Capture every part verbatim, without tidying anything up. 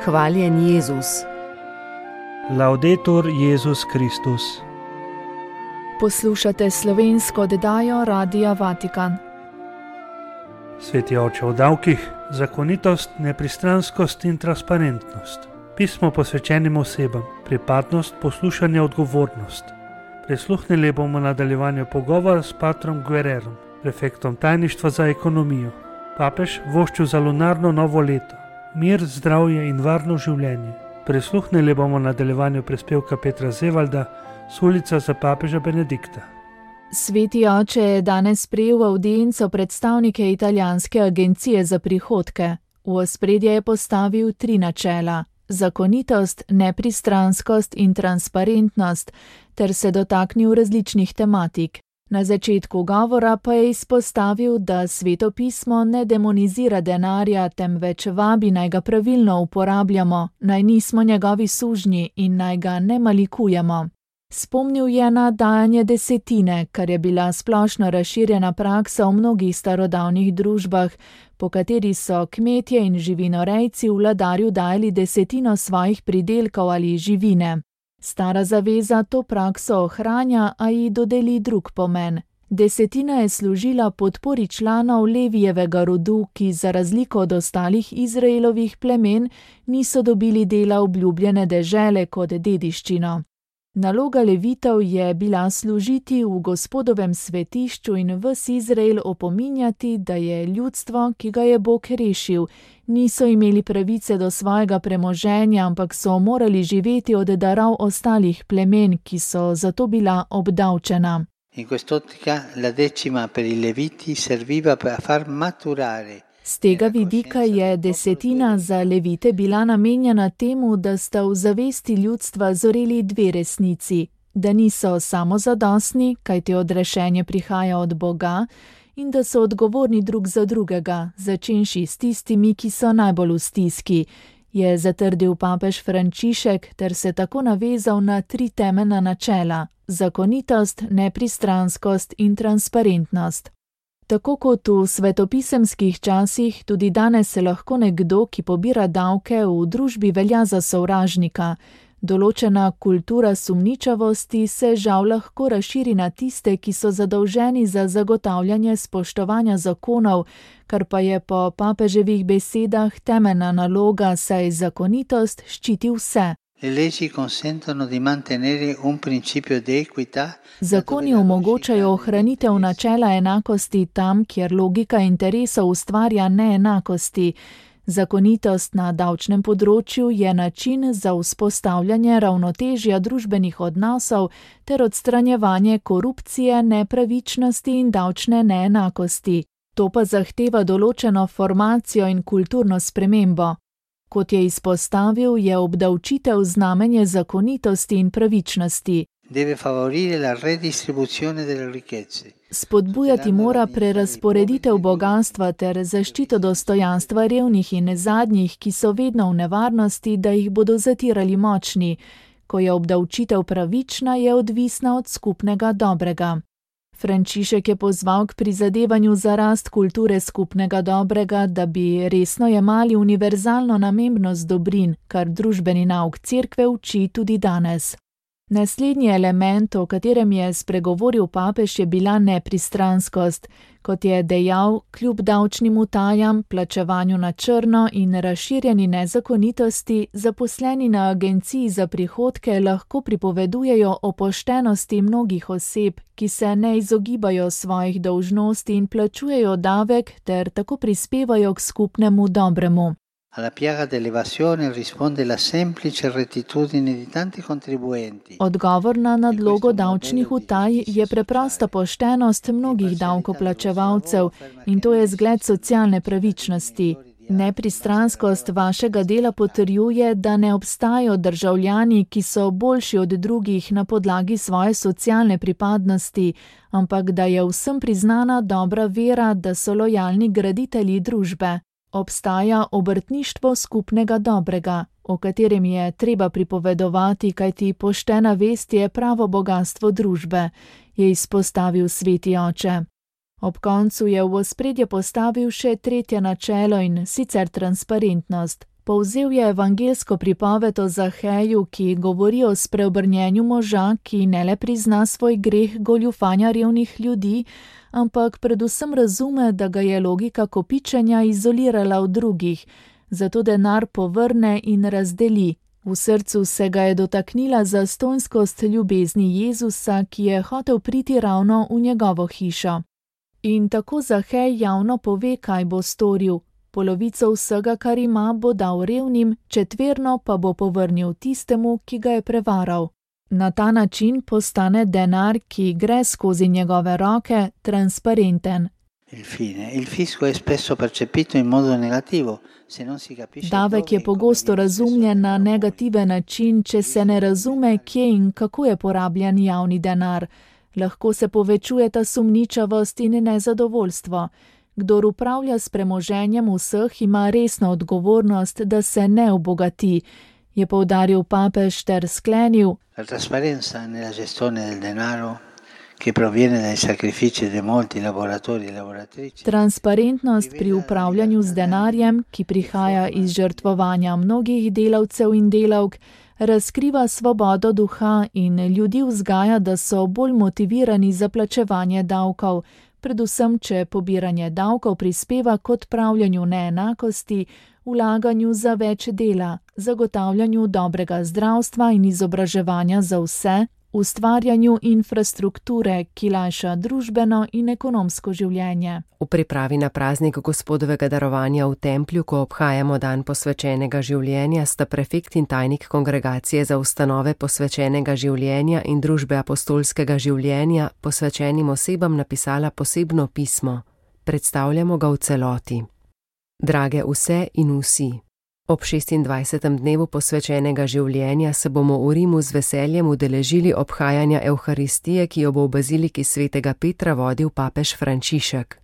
Hvaljen Jezus. Laudetur Jezus Kristus. Poslušate slovensko oddajo Radia Vatikan. Sveti oče, o davkih, zakonitost, nepristranskost in transparentnost. Pismo posvečenim osebam, pripadnost, poslušanje, odgovornost. Prisluhnili bomo nadaljevanju pogovora s patrom Guerrerom, prefektom tajništva za ekonomijo. Papež voščil za lunarno novo leto, mir, zdravje in varno življenje. Prisluhnili bomo nadaljevanju prispevka Petra Zevalda s ulica za papeža Benedikta. Sveti oče je danes sprejel avdienco predstavnike italijanske agencije za prihodke. V ospredje je postavil tri načela: zakonitost, nepristranskost in transparentnost, ter se dotaknil različnih tematik. Na začetku govora pa je izpostavil, da Sveto pismo ne demonizira denarja, temveč vabi, naj ga pravilno uporabljamo, naj nismo njegovi sužnji in naj ga ne malikujemo. Spomnil je na dajanje desetine, kar je bila splošno razširjena praksa v mnogih starodavnih družbah, po kateri so kmetje in živinorejci vladarju dajali desetino svojih pridelkov ali živine. Stara zaveza to prakso ohranja, a ji dodeli drug pomen. Desetina je služila podpori članov Levijevega rodu, ki za razliko od ostalih Izraelovih plemen niso dobili dela obljubljene dežele kot dediščino. Naloga Levitov je bila služiti v Gospodovem svetišču in ves Izrael opominjati, da je ljudstvo, ki ga je Bog rešil, niso imeli pravice do svojega premoženja, ampak so morali živeti od darov ostalih plemen, ki so zato bila obdavčena. In quest'ottica la decima per i Leviti serviva per far maturare. Z tega vidika je desetina za Levite bila namenjena temu, da sta v zavesti ljudstva zoreli dve resnici, da niso samozadostni, kajti odrešenje prihaja od Boga, in da so odgovorni drug za drugega, začenši s tistimi, ki so najbolj v stiski, je zatrdil papež Frančišek ter se tako navezal na tri temeljna načela: zakonitost, nepristranskost in transparentnost. Tako kot v svetopisemskih časih, tudi danes se lahko nekdo, ki pobira davke, v družbi velja za sovražnika. Določena kultura sumničavosti se žal lahko razširi na tiste, ki so zadolženi za zagotavljanje spoštovanja zakonov, kar pa je po papeževih besedah temeljna naloga, saj zakonitost ščiti vse. Le leggi consentono di mantenere un principio di equità. Zakoni omogočajo ohranitev načela enakosti tam, kjer logika interesov ustvarja neenakosti. Zakonitost na davčnem področju je način za vzpostavljanje ravnotežja družbenih odnosov ter odstranjevanje korupcije, nepravičnosti in davčne neenakosti. To pa zahteva določeno formacijo in kulturno spremembo. Kot je izpostavil, je obdavčitev znamenje zakonitosti in pravičnosti. Deve favorire la redistribuzione delle ricchezze. Spodbujati mora prerazporeditev bogastva ter zaščito dostojanstva revnih in zadnjih, ki so vedno v nevarnosti, da jih bodo zatirali močni. Ko je obdavčitev pravična, je odvisna od skupnega dobrega. Frančišek je pozval k prizadevanju za rast kulture skupnega dobrega, da bi resno jemali univerzalno namembnost dobrin, kar družbeni nauk cerkve uči tudi danes. Naslednji element, o katerem je spregovoril papež, je bila nepristranskost. Kot je dejal, kljub davčnim utajam, plačevanju na črno in razširjeni nezakonitosti, zaposleni na agenciji za prihodke lahko pripovedujejo o poštenosti mnogih oseb, ki se ne izogibajo svojih dolžnosti in plačujejo davek ter tako prispevajo k skupnemu dobremu. Alla piaga dell'evasione risponde la semplice rettitudine di tanti contribuenti. Odgovor na nadlogo davčnih utaj je preprosta poštenost mnogih davkoplačevalcev in to je zgled socialne pravičnosti. Nepristranskost vašega dela potrjuje, da ne obstajajo državljani, ki so boljši od drugih na podlagi svoje socialne pripadnosti, ampak da je vsem priznana dobra vera, da so lojalni graditelji družbe. Obstaja obrtništvo skupnega dobrega, o katerem je treba pripovedovati, kajti poštena vest je pravo bogastvo družbe, je izpostavil sveti oče. Ob koncu je v ospredje postavil še tretje načelo in sicer transparentnost. Povzel je evangelsko pripoved o Zaheju, ki govori o spreobrnjenju moža, ki ne le prizna svoj greh goljufanja revnih ljudi, ampak predvsem razume, da ga je logika kopičenja izolirala od drugih, zato denar povrne in razdeli. V srcu se ga je dotaknila zastonjskost ljubezni Jezusa, ki je hotel priti ravno v njegovo hišo. In tako Zahej javno pove, kaj bo storil. Polovico vsega, kar ima, bo dal revnim, četverno pa bo povrnil tistemu, ki ga je prevaral. Na ta način postane denar, ki gre skozi njegove roke, transparenten. Davek je pogosto razumljen na negativen način, če se ne razume, kje in kako je porabljen javni denar. Lahko se povečujeta sumničavost in nezadovoljstvo. Kdor upravlja s premoženjem vseh, ima resno odgovornost, da se ne obogati, je poudaril papež ter sklenil. La trasparenza nella gestione del denaro, che proviene dai sacrifici di molti lavoratori e lavoratrici. Transparentnost pri upravljanju z denarjem, ki prihaja iz žrtvovanja mnogih delavcev in delavk, razkriva svobodo duha in ljudi vzgaja, da so bolj motivirani za plačevanje davkov, predvsem če pobiranje davkov prispeva k odpravljanju neenakosti, vlaganju za več dela, zagotavljanju dobrega zdravstva in izobraževanja za vse, ustvarjanju infrastrukture, ki lajša družbeno in ekonomsko življenje. V pripravi na praznik Gospodovega darovanja v templju, ko obhajamo dan posvečenega življenja, sta prefekt in tajnik Kongregacije za ustanove posvečenega življenja in družbe apostolskega življenja posvečenim osebam napisala posebno pismo. Predstavljamo ga v celoti. Drage vse in vsi. Ob šestindvajsetem dnevu posvečenega življenja se bomo v Rimu z veseljem udeležili obhajanja Evharistije, ki jo bo v baziliki svetega Petra vodil papež Frančišek.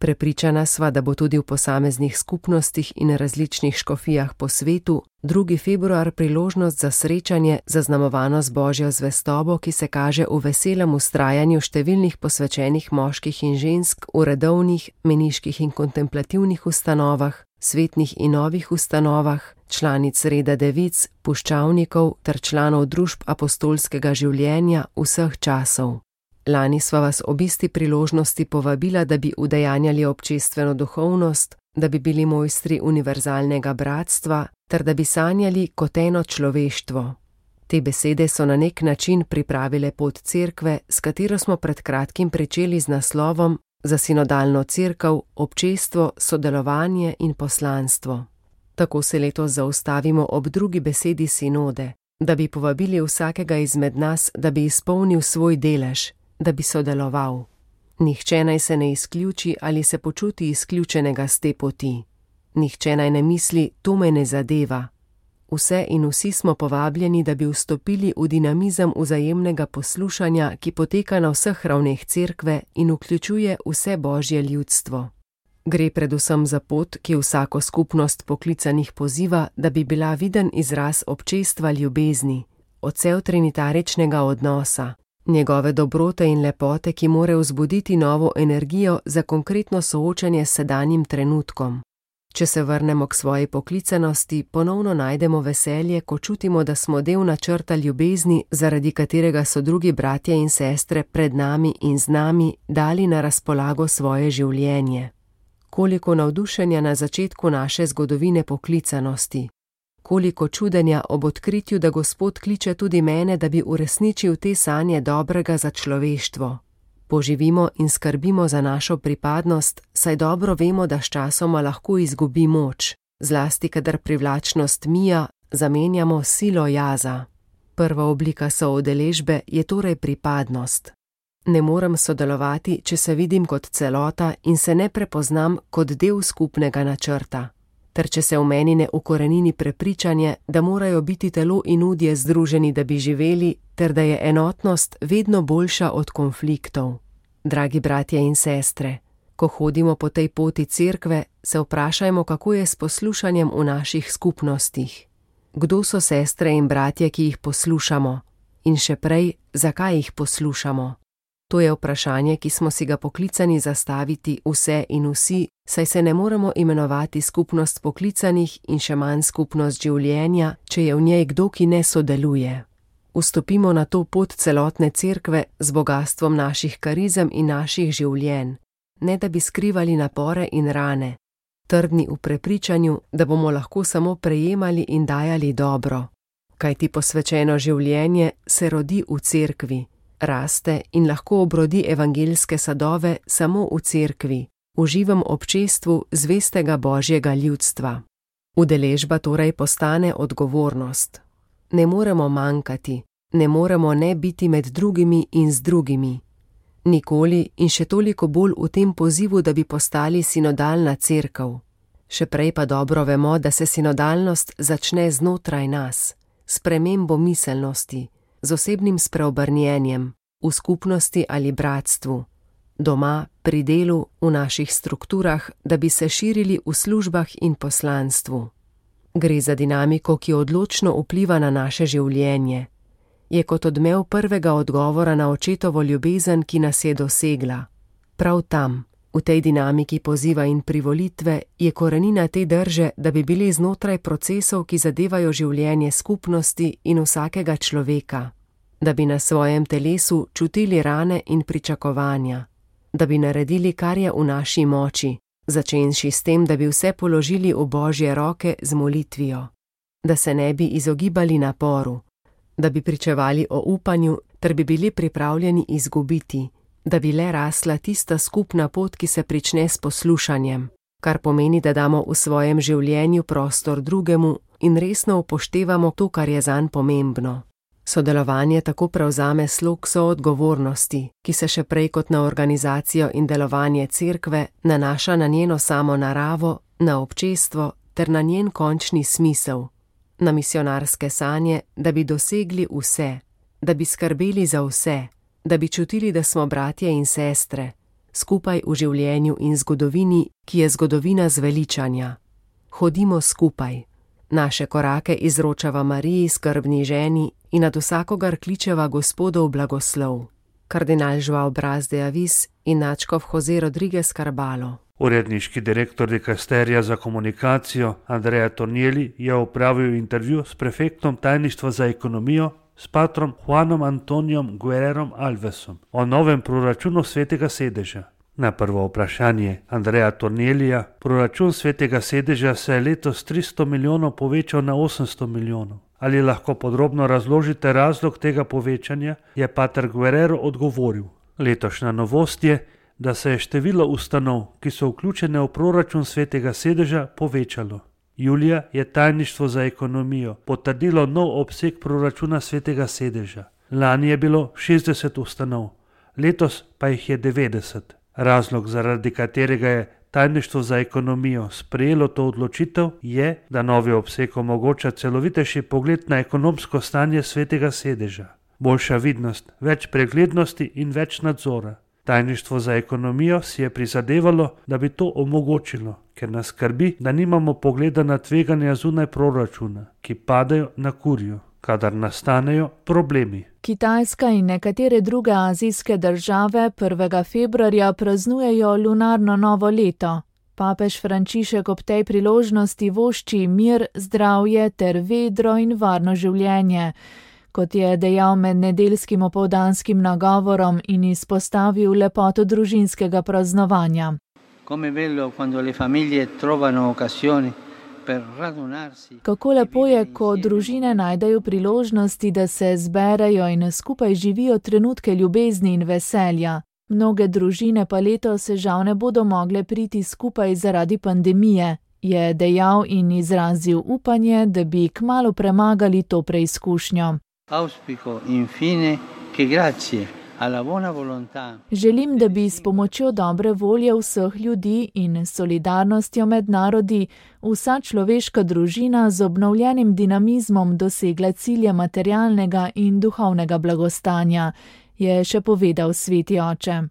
Prepričana sva, da bo tudi v posameznih skupnostih in različnih škofijah po svetu drugi februar priložnost za srečanje, zaznamovano z Božjo zvestobo, ki se kaže v veselem vztrajanju številnih posvečenih moških in žensk v redovnih, meniških in kontemplativnih ustanovah, svetnih in novih ustanovah, članic reda devic, puščavnikov ter članov družb apostolskega življenja vseh časov. Lani sva vas ob isti priložnosti povabila, da bi udejanjali občestveno duhovnost, da bi bili mojstri univerzalnega bratstva, ter da bi sanjali kot eno človeštvo. Te besede so na nek način pripravile pot cerkve, s katero smo pred kratkim pričeli z naslovom Za sinodalno cerkev, občestvo, sodelovanje in poslanstvo. Tako se letos zaustavimo ob drugi besedi sinode, da bi povabili vsakega izmed nas, da bi izpolnil svoj delež, da bi sodeloval. Nihče naj se ne izključi ali se počuti izključenega s te poti. Nihče naj ne misli, to me ne zadeva. Vse in vsi smo povabljeni, da bi vstopili v dinamizem vzajemnega poslušanja, ki poteka na vseh ravneh cerkve in vključuje vse Božje ljudstvo. Gre predvsem za pot, ki vsako skupnost poklicanih poziva, da bi bila viden izraz občestva ljubezni, odsev trinitaričnega odnosa, njegove dobrote in lepote, ki more vzbuditi novo energijo za konkretno soočanje s sedanjim trenutkom. Če se vrnemo k svoji poklicanosti, ponovno najdemo veselje, ko čutimo, da smo del načrta ljubezni, zaradi katerega so drugi bratje in sestre pred nami in z nami dali na razpolago svoje življenje. Koliko navdušenja na začetku naše zgodovine poklicanosti. Koliko čudenja ob odkritju, da Gospod kliče tudi mene, da bi uresničil te sanje dobrega za človeštvo. Poživimo in skrbimo za našo pripadnost, saj dobro vemo, da sčasoma lahko izgubi moč, zlasti kadar privlačnost mija zamenjamo silo jaza. Prva oblika soudeležbe je torej pripadnost. Ne morem sodelovati, če se vidim kot celota in se ne prepoznam kot del skupnega načrta, ter če se v meni ne ukorenini prepričanje, da morajo biti telo in udje združeni, da bi živeli, ter da je enotnost vedno boljša od konfliktov. Dragi bratje in sestre, ko hodimo po tej poti cerkve, se vprašajmo, kako je s poslušanjem v naših skupnostih. Kdo so sestre in bratje, ki jih poslušamo? In še prej, zakaj jih poslušamo? To je vprašanje, ki smo si ga poklicani zastaviti vse in vsi, saj se ne moremo imenovati skupnost poklicanih in še manj skupnost življenja, če je v njej kdo, ki ne sodeluje. Vstopimo na to pot celotne cerkve z bogastvom naših karizem in naših življenj, ne da bi skrivali napore in rane, trdni v prepričanju, da bomo lahko samo prejemali in dajali dobro. Kajti posvečeno življenje se rodi v cerkvi, raste in lahko obrodi evangeljske sadove samo v cerkvi, v živem občestvu zvestega Božjega ljudstva. Udeležba torej postane odgovornost. Ne moremo manjkati, ne moremo ne biti med drugimi in z drugimi. Nikoli in še toliko bolj v tem pozivu, da bi postali sinodalna cerkev. Še prej pa dobro vemo, da se sinodalnost začne znotraj nas, s spremembo miselnosti, z osebnim spreobrnjenjem, v skupnosti ali bratstvu, doma, pri delu, v naših strukturah, da bi se širili v službah in poslanstvu. Gre za dinamiko, ki odločno vpliva na naše življenje. Je kot odmev prvega odgovora na očetovo ljubezen, ki nas je dosegla. Prav tam, v tej dinamiki poziva in privolitve, je korenina te drže, da bi bili znotraj procesov, ki zadevajo življenje skupnosti in vsakega človeka, da bi na svojem telesu čutili rane in pričakovanja, da bi naredili, kar je v naši moči, začenši s tem, da bi vse položili v Božje roke z molitvijo, da se ne bi izogibali naporu, da bi pričevali o upanju, ter bi bili pripravljeni izgubiti, da bi le rasla tista skupna pot, ki se prične s poslušanjem, kar pomeni, da damo v svojem življenju prostor drugemu in resno upoštevamo to, kar je zanj pomembno. Sodelovanje tako prevzame slog soodgovornosti, ki se še prej kot na organizacijo in delovanje cerkve nanaša na njeno samo naravo, na občestvo ter na njen končni smisel, na misionarske sanje, da bi dosegli vse, da bi skrbeli za vse, da bi čutili, da smo bratje in sestre, skupaj v življenju in zgodovini, ki je zgodovina zveličanja. Hodimo skupaj. Naše korake izročava Mariji, skrbni ženi, in nad vsakogar kličeva Gospodov blagoslov. Kardinal Joao Braz de Avis in nadškof Jose Rodriguez Carbalo. Uredniški direktor dikasterija za komunikacijo Andrea Tornielli je opravil intervju s prefektom tajništva za ekonomijo, s patrom Juanom Antonijom Guerrerom Alvesom o novem proračunu Svetega sedeža. Na prvo vprašanje Andreja Torniellija, proračun Svetega sedeža se je letos tristo milijonov povečal na osemsto milijonov. Ali lahko podrobno razložite razlog tega povečanja, je pater Guerrero odgovoril. Letošnja novost je, da se je število ustanov, ki so vključene v proračun Svetega sedeža, povečalo. Julija je tajništvo za ekonomijo potrdilo nov obseg proračuna Svetega sedeža. Lani je bilo šestdeset ustanov, letos pa jih je devetdeset. Razlog, zaradi katerega je tajništvo za ekonomijo sprejelo to odločitev, je, da novi obseg omogoča celovitejši pogled na ekonomsko stanje Svetega sedeža. Boljša vidnost, več preglednosti in več nadzora. Tajništvo za ekonomijo si je prizadevalo, da bi to omogočilo, ker nas skrbi, da nimamo pogleda na tveganja zunaj proračuna, ki padajo na kurju, kadar nastanejo problemi. Kitajska in nekatere druge azijske države prvega februarja praznujejo lunarno novo leto. Papež Frančišek ob tej priložnosti vošči mir, zdravje ter vedro in varno življenje, kot je dejal med nedeljskim opoldanskim nagovorom in izpostavil lepoto družinskega praznovanja. Kako lepo je, ko družine najdejo priložnosti, da se zberejo in skupaj živijo trenutke ljubezni in veselja. Mnoge družine pa letos žal ne bodo mogle priti skupaj zaradi pandemije, je dejal in izrazil upanje, da bi kmalu premagali to preizkušnjo. Želim, da bi s pomočjo dobre volje vseh ljudi in solidarnostjo med narodi vsa človeška družina z obnovljenim dinamizmom dosegla cilje materialnega in duhovnega blagostanja, je še povedal sveti oče.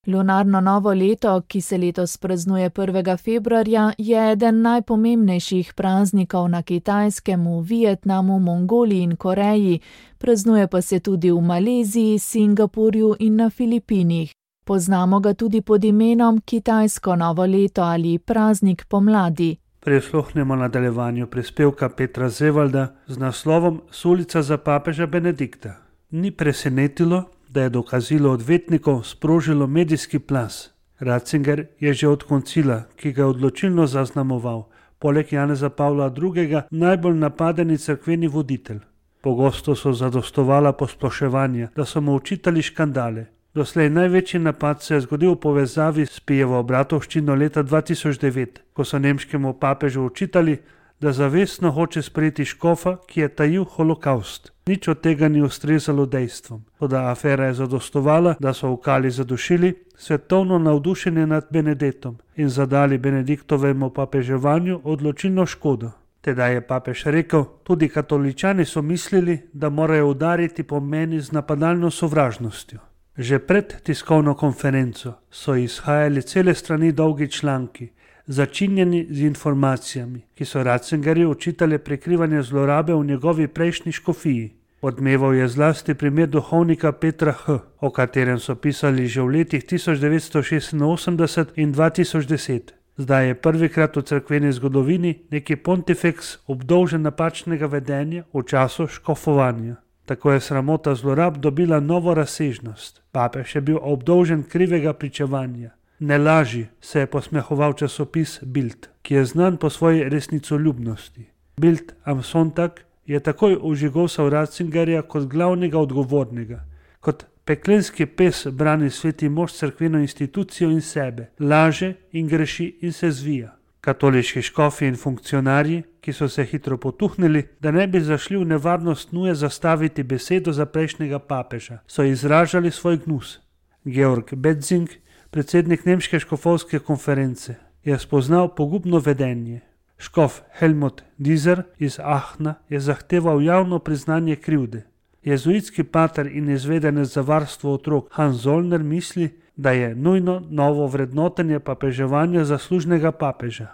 Lunarno novo leto, ki se letos praznuje prvega februarja, je eden najpomembnejših praznikov na Kitajskem, v Vietnamu, Mongoliji in Koreji, praznuje pa se tudi v Maleziji, Singapurju in na Filipinih. Poznamo ga tudi pod imenom Kitajsko novo leto ali praznik pomladi. Prisluhnemo nadaljevanju prispevka Petra Zevalda z naslovom Sulica za papeža Benedikta. Ni presenetilo, da je dokazilo odvetnikov sprožilo medijski plaz. Ratzinger je že od koncila, ki ga je odločilno zaznamoval, poleg Janeza Pavla drugega najbolj napadeni cerkveni voditelj. Pogosto so zadostovala posploševanja, da so mu očitali škandale. Doslej največji napad se je zgodil v povezavi s Pijevo bratovščino leta dva tisoč devet, ko so nemškemu papežu očitali, da zavestno hoče sprejeti škofa, ki je tajil holokavst. Nič od tega ni ustrezalo dejstvom. Toda afera je zadostovala, da so v kali zadušili svetovno navdušenje nad Benedettom in zadali Benediktovemu papeževanju odločilno škodo. Tedaj je papež rekel, tudi katoličani so mislili, da morajo udariti po meni z napadalno sovražnostjo. Že pred tiskovno konferenco so izhajali cele strani dolgi članki, začinjeni z informacijami, ki so Ratzingerju očitali prekrivanje zlorabe v njegovi prejšnji škofiji. Odmeval je zlasti primer duhovnika Petra H., o katerem so pisali že v letih tisoč devetsto šestinosemdeset in dva tisoč deset. Zdaj je prvikrat v cerkveni zgodovini neki pontifex obdolžen napačnega vedenja v času škofovanja. Tako je sramota zlorab dobila novo razsežnost. Papež je bil obdolžen krivega pričevanja. Ne laži, se je posmehoval časopis Bild, ki je znan po svoji resnicoljubnosti. Bild am Sonntag je takoj ožigosal Ratzingerja kot glavnega odgovornega. Kot peklenski pes brani sveti mož cerkveno institucijo in sebe, laže in greši in se zvija. Katoliški škofi in funkcionarji, ki so se hitro potuhnili, da ne bi zašli v nevarnost nuje zastaviti besedo za prejšnjega papeža, so izražali svoj gnus. Georg Betzing, predsednik nemške škofovske konference, je spoznal pogubno vedenje. Škof Helmut Dieser iz Aachna je zahteval javno priznanje krivde. Jezuitski pater in izvedenec za varstvo otrok Hans Zollner misli, da je nujno novo vrednotenje papeževanja zaslužnega papeža.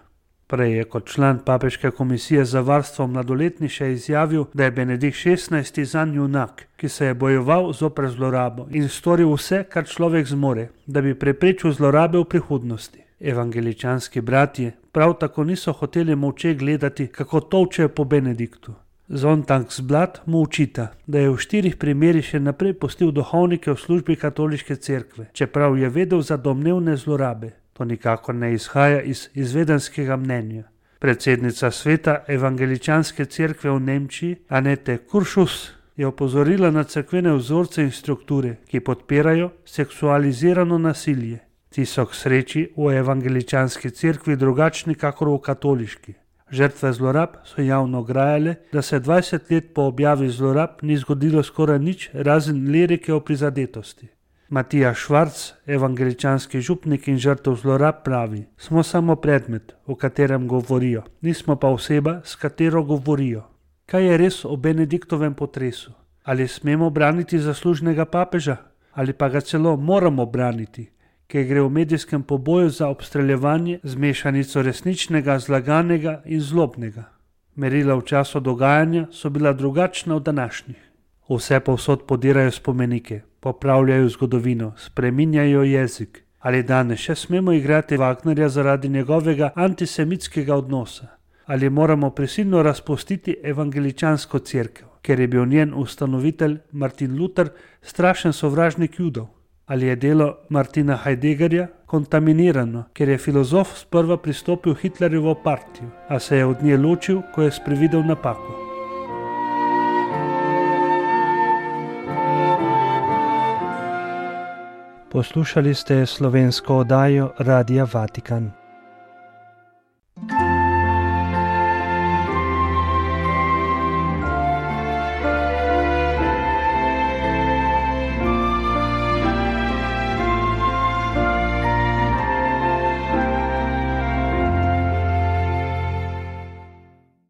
Prej je kot član papeške komisije za varstvo mladoletnih še izjavil, da je Benedikt šestnajsti zanj junak, ki se je bojeval zoper zlorabo in storil vse, kar človek zmore, da bi preprečil zlorabe v prihodnosti. Evangeličanski bratje prav tako niso hoteli molče gledati, kako tolčejo po Benediktu. Sonntagsblad mu učita, da je v štirih primerih še naprej pustil duhovnike v službi katoliške cerkve, čeprav je vedel za domnevne zlorabe. To nikakor ne izhaja iz izvedenskega mnenja. Predsednica sveta evangeličanske cerkve v Nemčiji, Annette Kurschus, je opozorila na cerkvene vzorce in strukture, ki podpirajo seksualizirano nasilje. Ti so k sreči v evangeličanski cerkvi drugačni kakor v katoliški. Žrtve zlorab so javno grajale, da se dvajset let po objavi zlorab ni zgodilo skoraj nič razen lirike o prizadetosti. Matija Švarc, evangeličanski župnik in žrtev zlorab, pravi: smo samo predmet, o katerem govorijo, nismo pa oseba, s katero govorijo. Kaj je res o Benediktovem potresu? Ali smemo braniti zaslužnega papeža? Ali pa ga celo moramo braniti, ki gre v medijskem poboju za obstreljevanje z mešanico resničnega, zlaganega in zlobnega? Merila v času dogajanja so bila drugačna od današnjih. Vse povsod podirajo spomenike, popravljajo zgodovino, spreminjajo jezik. Ali danes še smemo igrati Wagnerja zaradi njegovega antisemitskega odnosa? Ali moramo prisilno razpustiti evangeličansko cerkev, ker je bil njen ustanovitelj Martin Luther strašen sovražnik Judov? Ali je delo Martina Heideggerja kontaminirano, ker je filozof sprva pristopil Hitlerjevo partijo, a se je od nje ločil, ko je sprevidel napako? Poslušali ste slovensko oddajo Radia Vatikan.